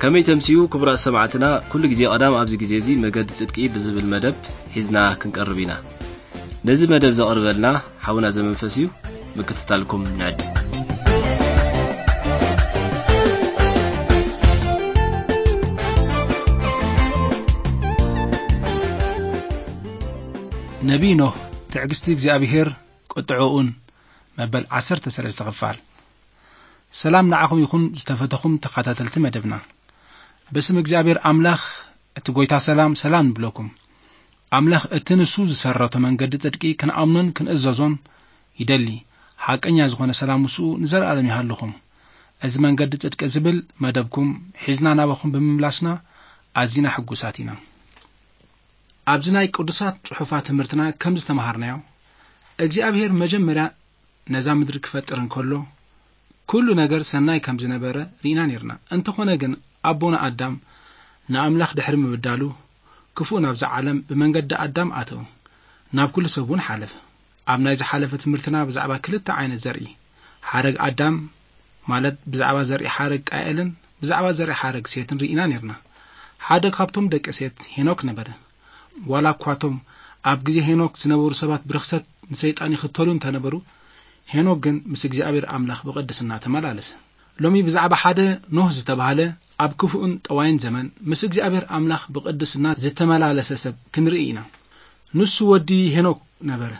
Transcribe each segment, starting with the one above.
ከመይ ተምስዩ ክቡራት ሰማዕትና፣ ኩሉ ግዜ ቀዳም ኣብዚ ግዜ እዚ መገዲ ጽድቂ ብዝብል መደብ ሒዝና ክንቀርብ ኢና። ነዚ መደብ ዘቕርበልና ሓውና ዘመንፈስ እዩ። ምክትታልኩም ንዕድ። ነቢይ ኖህ፣ ትዕግስቲ እግዚኣብሔር ቁጥዕኡን፣ መበል ዓሰርተ ሰለስተ ክፋል። ሰላም ንዓኹም ይኹን ዝተፈተኹም ተኸታተልቲ መደብና። ብስም እግዚኣብሔር ኣምላኽ እቲ ጎይታ ሰላም፣ ሰላም ንብለኩም። ኣምላኽ እቲ ንሱ ዝሰረቶ መንገዲ ጽድቂ ክንኣምኖን ክንእዘዞን ይደሊ። ሓቀኛ ዝኾነ ሰላም ምስኡ ንዘለኣለም ይሃልኹም። እዚ መንገዲ ጽድቂ ዝብል መደብኩም ሒዝና ናባኹም ብምምላስና ኣዚና ሕጉሳት ኢና። ኣብዚ ናይ ቅዱሳት ጽሑፋት ትምህርትና ከም ዝተማሃርናዮ፣ እግዚኣብሔር መጀመርያ ነዛ ምድሪ ክፈጥር እንከሎ፣ ኩሉ ነገር ሰናይ ከም ዝነበረ ርኢና ነርና። እንተኾነ ግን ኣቦና ኣዳም ንኣምላኽ ድሕሪ ምብዳሉ፣ ክፉእ ናብዛ ዓለም ብመንገዲ ኣዳም ኣተወ፣ ናብ ኩሉ ሰብ እውን ሓለፈ። ኣብ ናይ ዝሓለፈ ትምህርትና ብዛዕባ ክልተ ዓይነት ዘርኢ፣ ሓረግ ኣዳም፣ ማለት ብዛዕባ ዘርኢ ሓረግ ቃኤልን ብዛዕባ ዘርኢ ሓረግ ሴትን ርኢና ነርና። ሓደ ካብቶም ደቂ ሴት ሄኖክ ነበረ። ዋላ እኳ እቶም ኣብ ግዜ ሄኖክ ዝነበሩ ሰባት ብርኽሰት ንሰይጣን ይኽተሉ እንተነበሩ፣ ሄኖክ ግን ምስ እግዚኣብሔር ኣምላኽ ብቕድስና ተመላለሰ። ሎሚ ብዛዕባ ሓደ ኖህ ዝተባህለ ኣብ ክፉእን ጠዋይን ዘመን ምስ እግዚኣብሔር ኣምላኽ ብቕድስና ዝተመላለሰ ሰብ ክንርኢ ኢና። ንሱ ወዲ ሄኖክ ነበረ።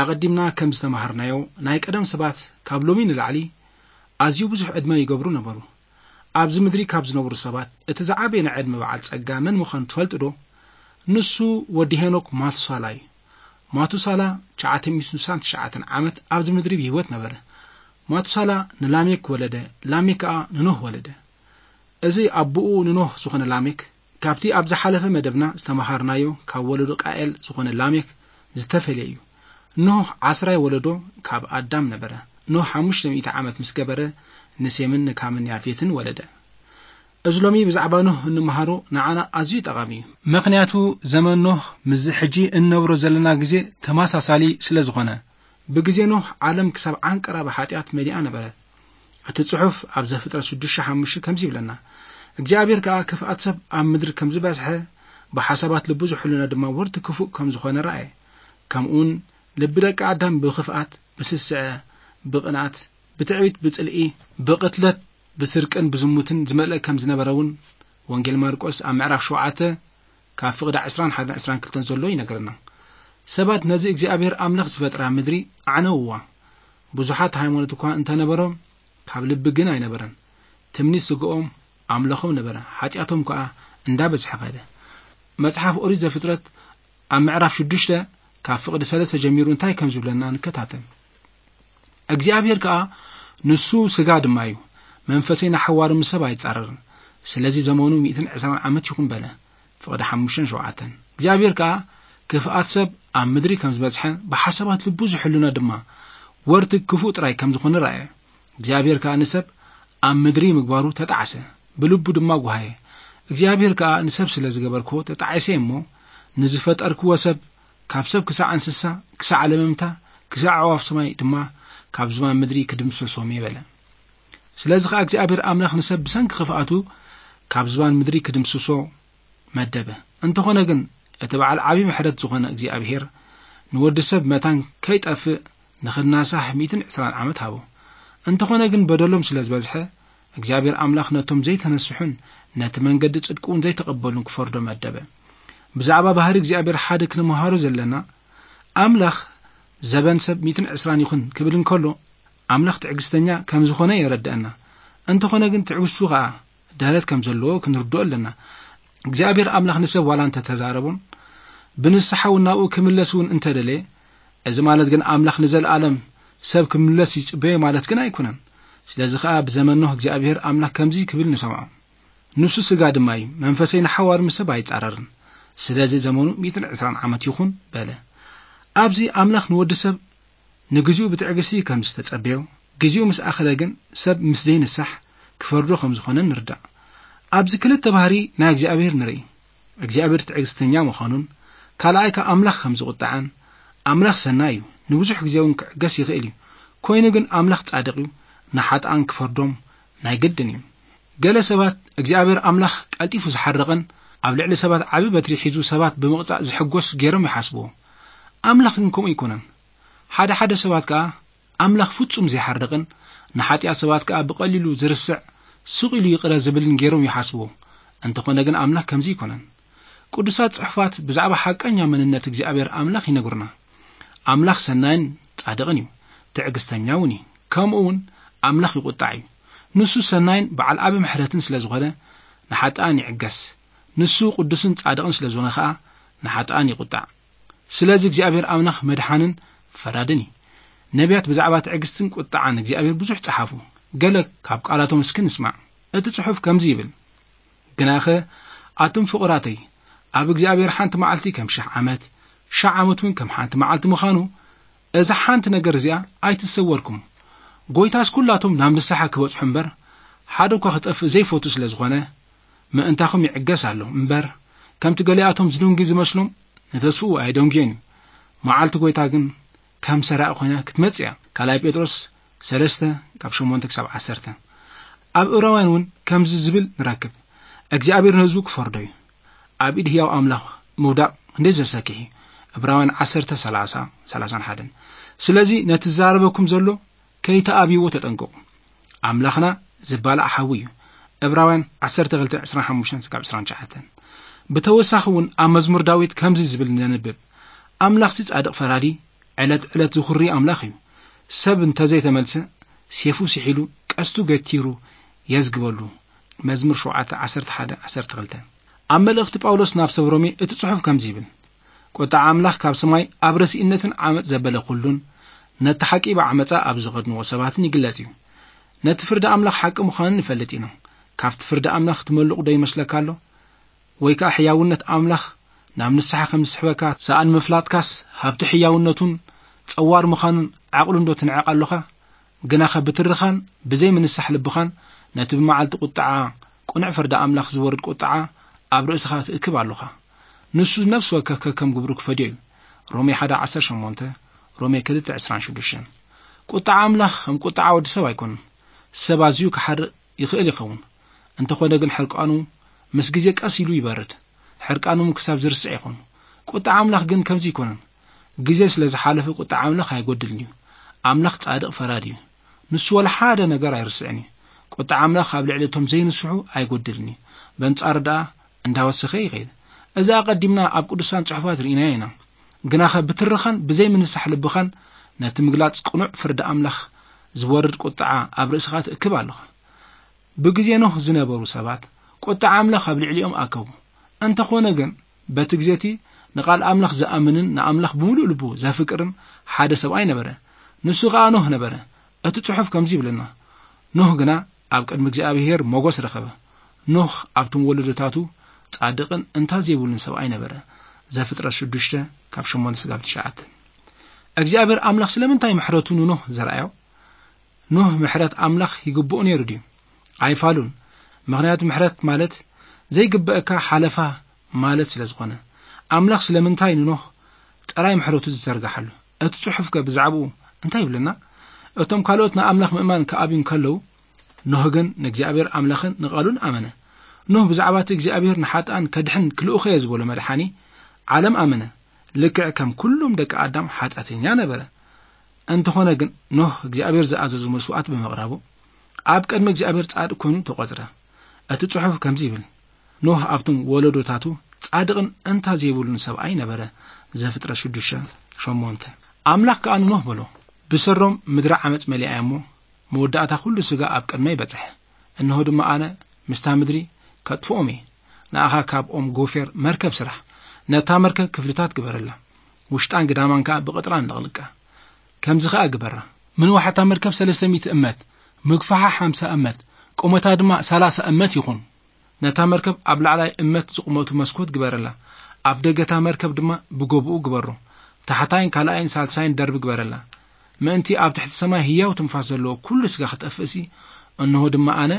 ኣቐዲምና ከም ዝተማሃርናዮ፣ ናይ ቀደም ሰባት ካብ ሎሚ ንላዕሊ ኣዝዩ ብዙሕ ዕድመ ይገብሩ ነበሩ። ኣብዚ ምድሪ ካብ ዝነብሩ ሰባት እቲ ዝዓበየ ናይ ዕድመ በዓል ጸጋ መን ምዃኑ ትፈልጡ ዶ? ንሱ ወዲ ሄኖክ ማቱሳላ እዩ። ማቱሳላ ትሽዓተ ሚእትን ስሳን ትሽዓተን ዓመት ኣብዚ ምድሪ ብህይወት ነበረ። ማቱሳላ ንላሜክ ወለደ፣ ላሜክ ከኣ ንኖህ ወለደ። እዚ ኣቦኡ ንኖህ ዝኾነ ላሜክ፣ ካብቲ ኣብ ዝሓለፈ መደብና ዝተመሃርናዮ ካብ ወለዶ ቃኤል ዝኾነ ላሜክ ዝተፈልየ እዩ። ኖህ ዓስራይ ወለዶ ካብ ኣዳም ነበረ። ኖህ ሓሙሽተ ሚእቲ ዓመት ምስ ገበረ፣ ንሴምን ንካምን ያፌትን ወለደ። እዚ ሎሚ ብዛዕባ ኖህ እንመሃሮ ንዓና ኣዝዩ ጠቓሚ እዩ። ምኽንያቱ ዘመን ኖህ ምስዚ ሕጂ እንነብሮ ዘለና ግዜ ተመሳሳሊ ስለ ዝኾነ። ብግዜ ኖህ ዓለም ክሳብ ዓንቀራ ብሓጢኣት መሊኣ ነበረት። እቲ ጽሑፍ ኣብ ዘፍጥረት ሽዱሽተ ሓሙሽተ ከምዚ ይብለና፣ እግዚኣብሔር ከኣ ክፍኣት ሰብ ኣብ ምድሪ ከም ዝበዝሐ፣ ብሓሳባት ልቡ ዝሕሉና ድማ ወርቲ ክፉእ ከም ዝኾነ ረኣየ። ከምኡውን ልቢ ደቂ ኣዳም ብኽፍኣት፣ ብስስዐ፣ ብቕንኣት፣ ብትዕቢት፣ ብጽልኢ፣ ብቕትለት፣ ብስርቅን ብዝሙትን ዝመልአ ከም ዝነበረ እውን ወንጌል ማርቆስ ኣብ ምዕራፍ ሸውዓተ ካብ ፍቕዲ ዕስራን ሓደን ዕስራን ክልተን ዘሎ ይነግረና። ሰባት ነዚ እግዚኣብሔር ኣምላኽ ዝፈጥራ ምድሪ ኣዕነውዋ። ብዙሓት ሃይማኖት እኳ እንተነበሮም፣ ካብ ልቢ ግን ኣይነበረን። ትምኒት ስግኦም ኣምለኾም ነበረ፣ ሓጢኣቶም ከኣ እንዳበዝሐ ኸደ። መጽሓፍ ኦሪት ዘፍጥረት ኣብ ምዕራፍ ሽዱሽተ ካብ ፍቕዲ ሰለስተ ጀሚሩ እንታይ ከም ዝብለና ንከታተል። እግዚኣብሔር ከኣ ንሱ ስጋ ድማ እዩ፣ መንፈሰይ ንሓዋሩ ምስ ሰብ ኣይጻረርን። ስለዚ ዘመኑ ሚእትን ዕስራን ዓመት ይኹን በለ። ፍቕዲ ሓሙሽተን ሸውዓተን። እግዚኣብሔር ከኣ ክፍኣት ሰብ ኣብ ምድሪ ከም ዝበዝሐ፣ ብሓሳባት ልቡ ዝሕሉና ድማ ወርቲ ክፉእ ጥራይ ከም ዝኾነ ረኣየ። እግዚኣብሔር ከኣ ንሰብ ኣብ ምድሪ ምግባሩ ተጣዕሰ፣ ብልቡ ድማ ጓሃየ። እግዚኣብሔር ከኣ ንሰብ ስለ ዝገበርክዎ ተጣዒሰ እሞ፣ ንዝፈጠርክዎ ሰብ ካብ ሰብ ክሳዕ እንስሳ፣ ክሳዕ ለመምታ፣ ክሳዕ ኣዕዋፍ ሰማይ ድማ ካብ ዝባን ምድሪ ክድምስሶም እየ በለ። ስለዚ ኸዓ እግዚኣብሔር ኣምላኽ ንሰብ ብሰንኪ ክፍኣቱ ካብ ዝባን ምድሪ ክድምስሶ መደበ። እንተኾነ ግን እቲ በዓል ዓብዪ ምሕረት ዝኾነ እግዚኣብሔር ንወዲ ሰብ መታን ከይጠፍእ ንኽናሳሕ ሚእትን ዕስራን ዓመት ሃቦ። እንተኾነ ግን በደሎም ስለ ዝበዝሐ እግዚኣብሔር ኣምላኽ ነቶም ዘይተነስሑን ነቲ መንገዲ ጽድቂ እውን ዘይተቐበሉን ክፈርዶ መደበ። ብዛዕባ ባህሪ እግዚኣብሔር ሓደ ክንመሃሮ ዘለና፣ ኣምላኽ ዘበን ሰብ ሚእትን ዕስራን ይኹን ክብል እንከሎ፣ ኣምላኽ ትዕግስተኛ ከም ዝኾነ የረድአና። እንተኾነ ግን ትዕግስቱ ኸኣ ደረት ከም ዘለዎ ክንርድኦ ኣለና። እግዚኣብሔር ኣምላኽ ንሰብ ዋላ እንተተዛረቦን ብንስሓ እውን ናብኡ ክምለስ እውን እንተደለየ፣ እዚ ማለት ግን ኣምላኽ ንዘለኣለም ሰብ ክምለስ ይጽበዮ ማለት ግን ኣይኮነን። ስለዚ ኸኣ ብዘመን ኖህ እግዚኣብሔር ኣምላኽ ከምዚ ክብል ንሰምዖ። ንሱ ስጋ ድማ እዩ፣ መንፈሰይ ንሓዋሩ ምስ ሰብ ኣይጻረርን። ስለዚ ዘመኑ ሚእትን ዕስራን ዓመት ይኹን በለ። ኣብዚ ኣምላኽ ንወዲ ሰብ ንግዚኡ ብትዕግስቲ ከም ዝተጸበዮ፣ ግዚኡ ምስ ኣኸለ ግን ሰብ ምስ ዘይንሳሕ ክፈርዶ ከም ዝኾነ ንርዳእ። ኣብዚ ክልተ ባህሪ ናይ እግዚኣብሔር ንርኢ። እግዚኣብሔር ትዕግስተኛ ምዃኑን ካልኣይ ከኣ ኣምላኽ ከም ዝቑጣዕን። ኣምላኽ ሰናይ እዩ፣ ንብዙሕ ግዜ እውን ክዕገስ ይኽእል እዩ። ኮይኑ ግን ኣምላኽ ጻድቕ እዩ፣ ንሓጥኣን ክፈርዶም ናይ ግድን እዩ። ገለ ሰባት እግዚኣብሔር ኣምላኽ ቀልጢፉ ዝሓርቕን ኣብ ልዕሊ ሰባት ዓቢ በትሪ ሒዙ ሰባት ብምቕጻእ ዝሕጎስ ገይሮም ይሓስብዎ። ኣምላኽ ግን ከምኡ ኣይኮነን። ሓደ ሓደ ሰባት ከኣ ኣምላኽ ፍጹም ዘይሓርቕን ንሓጢኣት ሰባት ከኣ ብቐሊሉ ዝርስዕ ስቕ ኢሉ ይቕረ ዝብልን ገይሮም ይሓስብዎ። እንተኾነ ግን ኣምላኽ ከምዚ ኣይኮነን። ቅዱሳት ጽሑፋት ብዛዕባ ሓቀኛ መንነት እግዚኣብሔር ኣምላኽ ይነግሩና። ኣምላኽ ሰናይን ጻድቕን እዩ፣ ትዕግስተኛ እውን እዩ። ከምኡ እውን ኣምላኽ ይቑጣዕ እዩ። ንሱ ሰናይን በዓል ዓቢ ምሕረትን ስለ ዝኾነ ንሓጥኣን ይዕገስ። ንሱ ቅዱስን ጻድቕን ስለ ዝኾነ ኸኣ ንሓጥኣን ይቑጣዕ። ስለዚ እግዚኣብሔር ኣምላኽ መድሓንን ፈራድን እዩ። ነቢያት ብዛዕባ ትዕግስትን ቁጥዓን እግዚኣብሔር ብዙሕ ጸሓፉ። ገለ ካብ ቃላቶም እስኪ ንስማዕ። እቲ ጽሑፍ ከምዚ ይብል፣ ግናኸ ኣቱም ፍቑራተይ፣ ኣብ እግዚኣብሔር ሓንቲ መዓልቲ ከም ሽሕ ዓመት፣ ሽሕ ዓመት እውን ከም ሓንቲ መዓልቲ ምዃኑ፣ እዛ ሓንቲ ነገር እዚኣ ኣይትሰወርኩም። ጎይታስ ኩላቶም ናብ ንስሓ ክበጽሑ እምበር፣ ሓደ እኳ ክጠፍእ ዘይፈቱ ስለ ዝኾነ፣ ምእንታኹም ይዕገስ ኣሎ እምበር፣ ከምቲ ገሊኣቶም ዝድንጉ ዝመስሎም ንተስፍኡ ኣይደንጉዮን እዩ። መዓልቲ ጎይታ ግን ከም ሰራቂ ኮይና ክትመጽእ እያ። ካልኣይ ጴጥሮስ ሰለስተ ካብ ሸሞንተ ክሳብ ዓሰርተ። ኣብ ዕብራውያን እውን ከምዚ ዝብል ንረክብ፣ እግዚኣብሔር ንህዝቡ ክፈርዶ እዩ። ኣብ ኢድ ህያው ኣምላኽ ምውዳቕ ክንደይ ዘሰክሕ እዩ። ዕብራውያን ዓሰርተ ሰላሳ፣ ሰላሳን ሓደን። ስለዚ ነቲ ዝዛረበኩም ዘሎ ከይተኣብይዎ ተጠንቀቑ። ኣምላኽና ዝባላዕ ሓዊ እዩ። ዕብራውያን ዓሰርተ ክልተ ዕስራን ሓሙሽተን ክሳብ ዕስራን ትሽዓተን። ብተወሳኺ እውን ኣብ መዝሙር ዳዊት ከምዚ ዝብል ነንብብ፣ ኣምላኽሲ ጻድቕ ፈራዲ፣ ዕለት ዕለት ዝኹሪ ኣምላኽ እዩ። ሰብ እንተዘይተመልሰ፣ ሴፉ ስሒሉ፣ ቀስቱ ገቲሩ የዝግበሉ። መዝሙር ሸውዓተ፣ ዓሰርተ ሓደ፣ ዓሰርተ ክልተ። ኣብ መልእኽቲ ጳውሎስ ናብ ሰብ ሮሜ እቲ ጽሑፍ ከምዚ ይብል፣ ቁጥዓ ኣምላኽ ካብ ሰማይ ኣብ ረሲእነትን ዓመጽ ዘበለ ኩሉን፣ ነቲ ሓቂ ብዓመጻ ኣብ ዝኸድንዎ ሰባትን ይግለጽ እዩ። ነቲ ፍርዲ ኣምላኽ ሓቂ ምዃኑ ንፈልጥ ኢና። ካብቲ ፍርዲ ኣምላኽ ትመልቕ ዶ ይመስለካ ኣሎ? ወይ ከኣ ሕያውነት ኣምላኽ ናብ ንስሓ ከም ዝስሕበካ ሰኣን ምፍላጥካስ፣ ሃብቲ ሕያውነቱን ጸዋር ምዃኑን ዓቕሉን ዶ ትንዕቕ ኣሎኻ? ግናኸ ብትርኻን ብዘይ ምንሳሕ ልብኻን ነቲ ብመዓልቲ ቁጥዓ ቅኑዕ ፍርዲ ኣምላኽ ዝወርድ ቁጥዓ ኣብ ርእስኻ ትእክብ ኣሎኻ። ንሱ ነፍሲ ወከፍ ከከም ግብሩ ክፈድዮ እዩ። ሮሜ ሓደ ዓሰርተ ሸሞንተ፣ ሮሜ ክልተ ዕስራን ሽዱሽተን። ቁጥዓ ኣምላኽ ከም ቁጥዓ ወዲ ሰብ ኣይኮነን። ሰብ ኣዝዩ ክሓርቕ ይኽእል ይኸውን። እንተኾነ ግን ሕርቃኑ ምስ ግዜ ቀስ ኢሉ ይበርድ። ሕርቃኑ ክሳብ ዝርስዕ ይኾን። ቁጥዓ ኣምላኽ ግን ከምዚ ኣይኮነን። ግዜ ስለ ዝሓለፈ ቁጥዓ ኣምላኽ ኣይጎድልን እዩ። ኣምላኽ ጻድቕ ፈራዲ እዩ። ንሱ ወላ ሓደ ነገር ኣይርስዕን እዩ። ቁጥዓ ኣምላኽ ኣብ ልዕሊ እቶም ዘይንስሑ ኣይጎድልን እዩ። በንጻሩ ደኣ እንዳወሰኸ ይኸይድ። እዚ ኣቐዲምና ኣብ ቅዱሳን ጽሑፋት ርኢናዮ ኢና። ግናኸ ብትርኻን ብዘይ ምንሳሕ ልብኻን ነቲ ምግላጽ ቅኑዕ ፍርዲ ኣምላኽ ዝወርድ ቁጥዓ ኣብ ርእስኻ ትእክብ ኣለኻ። ብግዜ ኖህ ዝነበሩ ሰባት ቁጥዓ ኣምላኽ ኣብ ልዕሊኦም ኣከቡ። እንተኾነ ግን በቲ ግዜ እቲ ንቓል ኣምላኽ ዝኣምንን ንኣምላኽ ብምሉእ ልቡ ዘፍቅርን ሓደ ሰብኣይ ነበረ። ንሱ ኸኣ ኖህ ነበረ። እቲ ጽሑፍ ከምዚ ይብለና፣ ኖህ ግና ኣብ ቅድሚ እግዚኣብሄር ሞገስ ረኸበ። ኖህ ኣብቶም ወለዶታቱ ጻድቕን እንታ ዘይብሉን ሰብኣይ ነበረ። ዘፍጥረት ሽዱሽተ ካብ ሸሞንተ ስጋብ ትሽዓተ። እግዚኣብሔር ኣምላኽ ስለምንታይ ምሕረቱ ንኖህ ዘርኣዮ? ኖህ ምሕረት ኣምላኽ ይግብኦ ነይሩ ድዩ? ኣይፋሉን። ምኽንያቱ ምሕረት ማለት ዘይግበአካ ሓለፋ ማለት ስለ ዝኾነ። ኣምላኽ ስለምንታይ ንኖህ ጥራይ ምሕረቱ ዝዘርግሓሉ? እቲ ጽሑፍከ ብዛዕባኡ እንታይ ይብለና? እቶም ካልኦት ንኣምላኽ ምእማን ክኣብዩ እንከለዉ፣ ኖህ ግን ንእግዚኣብሔር ኣምላኽን ንቓሉን ኣመነ። ኖህ ብዛዕባ እቲ እግዚኣብሔር ንሓጥኣን ከድሕን ክልእኾ እየ ዝበሎ መድሓኒ ዓለም ኣመነ። ልክዕ ከም ኩሎም ደቂ ኣዳም ሓጢኣተኛ ነበረ። እንተኾነ ግን ኖህ እግዚኣብሔር ዝኣዘዞ መስዋዕት ብምቕራቡ ኣብ ቅድሚ እግዚኣብሔር ጻድቕ ኮይኑ ተቖጽረ። እቲ ጽሑፍ ከምዚ ይብል፣ ኖህ ኣብቶም ወለዶታቱ ጻድቕን እንታ ዘይብሉን ሰብኣይ ነበረ። ዘፍጥረት ሽዱሽተ ሸሞንተ። ኣምላኽ ከኣ ንኖህ በሎ፣ ብሰሮም ምድሪ ዓመጽ መሊኣ እያ እሞ፣ መወዳእታ ኩሉ ስጋ ኣብ ቅድመይ በጽሐ። እንሆ ድማ ኣነ ምስታ ምድሪ ከጥፍኦም እየ። ንኣኻ ካብ ኦም ጎፌር መርከብ ስራሕ። ነታ መርከብ ክፍልታት ግበረላ። ውሽጣን ግዳማን ከኣ ብቕጥራን ለቕልቃ። ከምዚ ከኣ ግበራ። ምንዋሕ እታ መርከብ ሰለስተ ሚእቲ እመት፣ ምግፋሓ ሓምሳ እመት፣ ቁመታ ድማ ሰላሳ እመት ይኹን። ነታ መርከብ ኣብ ላዕላይ እመት ዝቑመቱ መስኮት ግበረላ። ኣፍ ደገ እታ መርከብ ድማ ብጎቦኡ ግበሮ። ታሕታይን ካልኣይን ሳልሳይን ደርቢ ግበረላ። ምእንቲ ኣብ ትሕቲ ሰማይ ህያው ትንፋስ ዘለዎ ኩሉ ስጋ ክጠፍእሲ፣ እንሆ ድማ ኣነ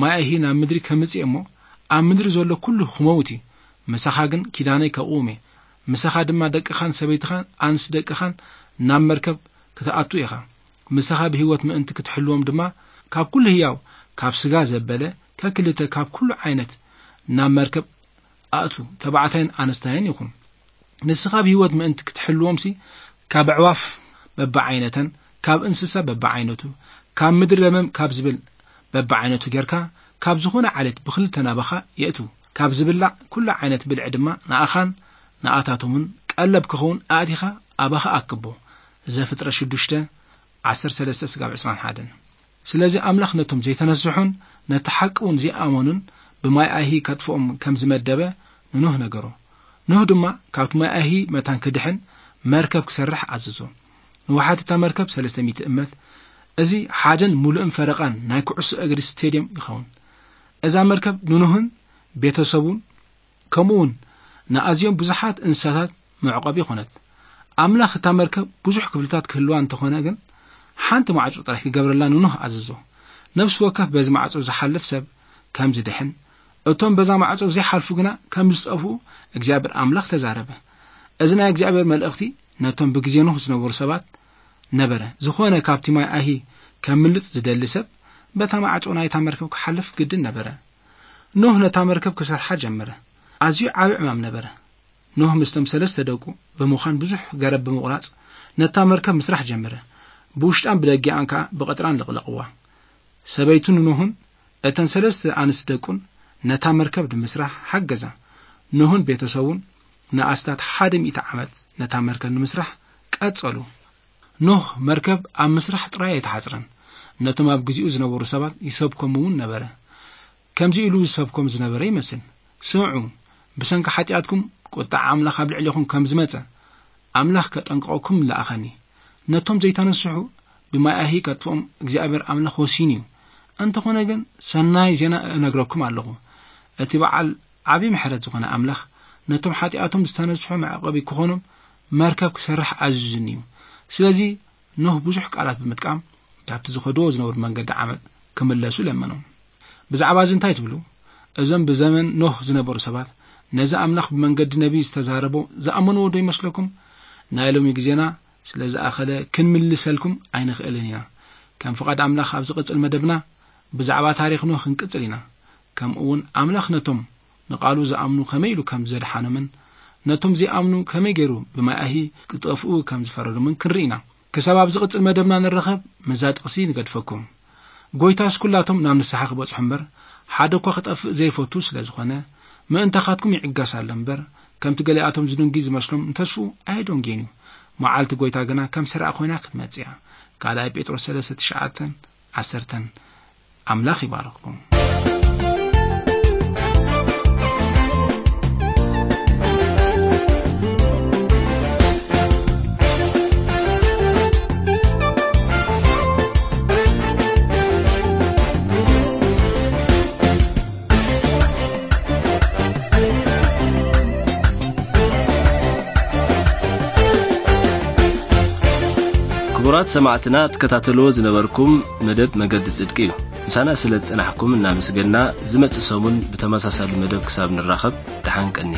ማይ ኣይሂ ናብ ምድሪ ከምጽእ እሞ፣ ኣብ ምድሪ ዘሎ ኩሉ ክመውት እዩ። ምሳኻ ግን ኪዳነይ ከቕውም እየ። ምሳኻ ድማ ደቅኻን ሰበይትኻን ኣንስቲ ደቅኻን ናብ መርከብ ክትኣቱ ኢኻ። ምሳኻ ብህይወት ምእንቲ ክትሕልዎም ድማ፣ ካብ ኩሉ ህያው፣ ካብ ስጋ ዘበለ፣ ከክልተ ካብ ኩሉ ዓይነት ናብ መርከብ ኣእቱ፣ ተባዕታይን ኣንስታይን ይኹን። ንስኻ ብህይወት ምእንቲ ክትሕልዎምሲ፣ ካብ ኣዕዋፍ በብዓይነተን፣ ካብ እንስሳ በብዓይነቱ፣ ካብ ምድሪ ለመም ካብ ዝብል በብዓይነቱ ጌርካ፣ ካብ ዝኾነ ዓሌት ብኽልተ ናባኻ የእትዉ። ካብ ዝብላዕ ኩሉ ዓይነት ብልዒ ድማ ንኣኻን ንኣታቶምን ቀለብ ክኸውን ኣእቲኻ ኣባኻ ኣክቦ። ዘፍጥረት ሽዱሽተ፣ ዓሰርተ ሰለስተ ስጋብ ዕስራን ሓደን። ስለዚ ኣምላኽ ነቶም ዘይተነስሑን ነቲ ሓቂ እውን ዘይኣመኑን ብማይ ኣይሂ ከጥፍኦም ከም ዝመደበ ንኖህ ነገሮ። ኖህ ድማ ካብቲ ማይ ኣይሂ መታን ክድሕን መርከብ ክሰርሕ ኣዘዞ። ንውሓት እታ መርከብ ሰለስተ ሚእቲ እመት፣ እዚ ሓደን ምሉእን ፈረቓን ናይ ኩዕሶ እግሪ ስቴድየም ይኸውን። እዛ መርከብ ንኖህን ቤተሰቡን ከምኡውን ንኣዝዮም ብዙሓት እንስሳታት መዕቆቢ ኮነት። ኣምላኽ እታ መርከብ ብዙሕ ክፍልታት ክህልዋ እንተኾነ ግን፣ ሓንቲ ማዕጾ ጥራይ ክገብረላ ንኖህ ኣዘዞ። ነፍሲ ወከፍ በዚ ማዕጾ ዝሓልፍ ሰብ ከም ዝድሕን፣ እቶም በዛ ማዕጾ ዘይሓልፉ ግና ከም ዝጠፍኡ እግዚኣብሔር ኣምላኽ ተዛረበ። እዚ ናይ እግዚኣብሔር መልእኽቲ ነቶም ብግዜ ኖህ ዝነበሩ ሰባት ነበረ። ዝኾነ ካብቲ ማይ ኣይሂ ከምልጥ ዝደሊ ሰብ በታ ማዕጾ ናይታ መርከብ ክሓልፍ ግድን ነበረ። ኖህ ነታ መርከብ ክሰርሓ ጀመረ። ኣዝዩ ዓቢ ዕማም ነበረ። ኖህ ምስቶም ሰለስተ ደቁ ብምዃን ብዙሕ ገረብ ብምቑራጽ ነታ መርከብ ምስራሕ ጀመረ። ብውሽጣን ብደጊኣን ከኣ ብቐጥራን ለቕለቕዋ። ሰበይቱ ንኖህን እተን ሰለስተ ኣንስቲ ደቁን ነታ መርከብ ንምስራሕ ሓገዛ። ኖህን ቤተሰቡን ንኣስታት ሓደ ሚእቲ ዓመት ነታ መርከብ ንምስራሕ ቀጸሉ። ኖህ መርከብ ኣብ ምስራሕ ጥራይ ኣይተሓጽረን። ነቶም ኣብ ግዜኡ ዝነበሩ ሰባት ይሰብኮም እውን ነበረ። ከምዚ ኢሉ ዝሰብኮም ዝነበረ ይመስል። ስምዑ፣ ብሰንኪ ሓጢኣትኩም ቁጥዓ ኣምላኽ ኣብ ልዕሌኹም ከም ዝመጸ፣ ኣምላኽ ከጠንቅቐኩም ለኣኸኒ። ነቶም ዘይተነስሑ ብማይ ኣይሂ ከጥፍኦም እግዚኣብሔር ኣምላኽ ወሲኑ እዩ። እንተኾነ ግን ሰናይ ዜና እነግረኩም ኣለኹ። እቲ በዓል ዓቢ ምሕረት ዝኾነ ኣምላኽ ነቶም ሓጢኣቶም ዝተነስሑ መዕቆቢ ክኾኖም መርከብ ክሰርሕ ኣዚዙኒ እዩ። ስለዚ ኖህ ብዙሕ ቃላት ብምጥቃም ካብቲ ዝኸድዎ ዝነበሩ መንገዲ ዓመጽ ክምለሱ ለመኖም። ብዛዕባ እዚ እንታይ ትብሉ? እዞም ብዘመን ኖህ ዝነበሩ ሰባት ነዚ ኣምላኽ ብመንገዲ ነቢይ ዝተዛረቦ ዝኣመንዎ ዶ ይመስለኩም? ናይ ሎሚ ግዜና ስለ ዝኣኸለ ክንምልሰልኩም ኣይንኽእልን ኢና። ከም ፍቓድ ኣምላኽ ኣብ ዝቕጽል መደብና ብዛዕባ ታሪኽ ኖህ ክንቅጽል ኢና። ከምኡ እውን ኣምላኽ ነቶም ንቓሉ ዝኣምኑ ከመይ ኢሉ ከም ዘድሓኖምን ነቶም ዘይኣምኑ ከመይ ገይሩ ብማይ ኣይሂ ክጠፍኡ ከም ዝፈረዶምን ክንርኢ ኢና። ክሳብ ኣብ ዝቕጽል መደብና ንራኸብ፣ ምስዛ ጥቕሲ ንገድፈኩም። ጎይታስ ኩላቶም ናብ ንስሓ ክበጽሑ እምበር፣ ሓደ እኳ ክጠፍእ ዘይፈቱ ስለ ዝኾነ፣ ምእንታኻትኩም ይዕገስ ኣሎ እምበር፣ ከምቲ ገሊኣቶም ዝድንጉይ ዝመስሎም ንተስፍኡ ኣየደንጉየን እዩ። መዓልቲ ጎይታ ግና ከም ስራዕ ኮይና ክትመጽእ እያ። ካልኣይ ጴጥሮስ ሰለስተ ትሽዓተን ዓሰርተን። ኣምላኽ ይባርኽኩም። ክቡራት ሰማዕትና፣ ትከታተልዎ ዝነበርኩም መደብ መገዲ ጽድቂ እዩ። ምሳና ስለ ዝጸናሕኩም እናመስገና፣ ዝመጽእ ሰሙን ብተመሳሳሊ መደብ ክሳብ ንራኸብ፣ ደሓን ቀኒ።